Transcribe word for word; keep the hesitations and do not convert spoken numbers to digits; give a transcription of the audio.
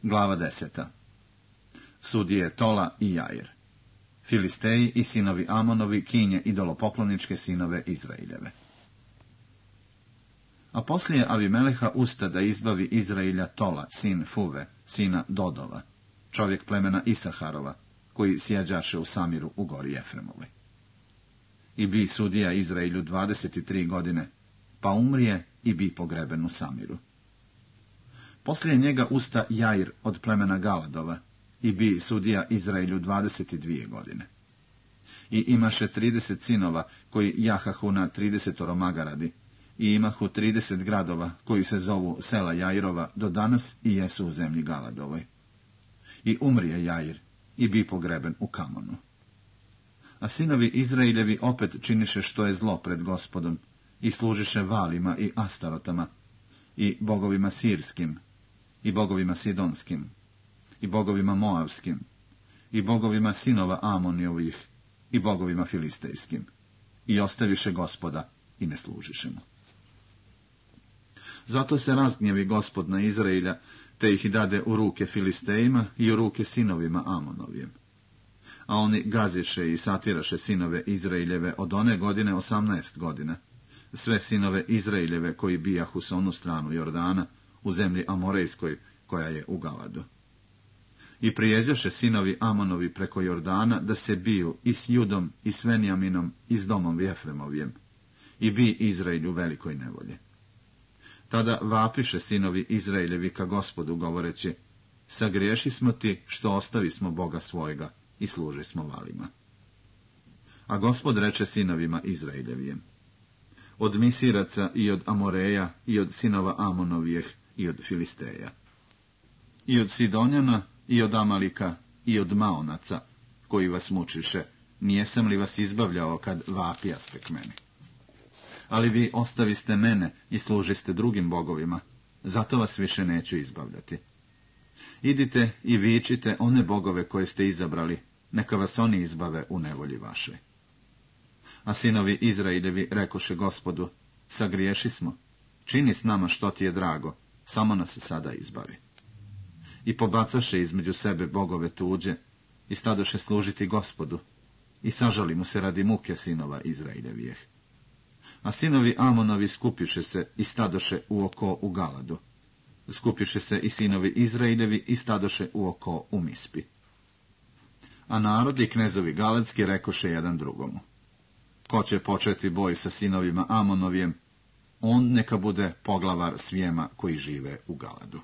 Glava deseta. Sudije Tola i Jair. Filisteji i sinovi Amonovi kinje idolopokloničke sinove Izraeljeve. A poslije Avimeleha usta da izbavi Izraelja Tola, sin Fuve, sina Dodova, čovjek plemena Isaharova, koji sjeđaše u Samiru u gori Efremovoj. I bi sudija Izraelju dvadeset tri godine, pa umrije i bi pogreben u Samiru. Poslije njega usta Jair od plemena Galadova, i bi sudija Izraelju dvadeset dvije godine. I imaše trideset sinova, koji jahahu na tridesetoro magaradi, i imahu trideset gradova, koji se zovu sela Jairova do danas i jesu u zemlji Galadovoj. I umrije Jair, i bi pogreben u Kamonu. A sinovi Izraeljevi opet činiše što je zlo pred Gospodom, i služiše Valima i Astarotama, i bogovima sirskim, i bogovima sidonskim, i bogovima moavskim, i bogovima sinova Amonijovih, i bogovima filistejskim, i ostaviše Gospoda i ne služiše mu. Zato se razgnjevi Gospod na Izraelja, te ih dade u ruke Filistejima i u ruke sinovima Amonovijem. A oni gaziše i satiraše sinove Izraeljeve od one godine osamnaest godina, sve sinove Izraeljeve koji bijahu s onu stranu Jordana, u zemlji Amorejskoj, koja je u Galadu. I prijeđaše sinovi Amonovi preko Jordana da se biju i s Judom i s Venjaminom i s domom Jefremovijem, i bi Izraelju velikoj nevolje. Tada vapiše sinovi Izraeljevi ka Gospodu, govoreći: sagriješi smo ti što ostavi smo Boga svojega i služi smo Valima. A Gospod reče sinovima Izraeljevijem: od Misiraca i od Amoreja i od sinova Amonovijeh i od Filisteja, i od Sidonjana i od Amalika i od Maonaca, koji vas mučiše, nijesam li vas izbavljao kad vapijaste k meni? Ali vi ostaviste mene i služiste drugim bogovima, zato vas više neću izbavljati. Idite i vičite one bogove koje ste izabrali, neka vas oni izbave u nevolji vaše. A sinovi Izraeljevi rekoše Gospodu: sagriješi smo, čini s nama što ti je drago, samo nas sada izbavi. I pobacaše između sebe bogove tuđe, i stadoše služiti Gospodu, i sažali mu se radi muke sinova Izraeljevijeh. A sinovi Amonovi skupiše se i stadoše u oko u Galadu. Skupiše se i sinovi Izraeljevi i stadoše u oko u Mispi. A narod i knezovi galadski rekoše jedan drugomu: ko će početi boj sa sinovima Amonovijem, on neka bude poglavar svijema koji žive u Galadu.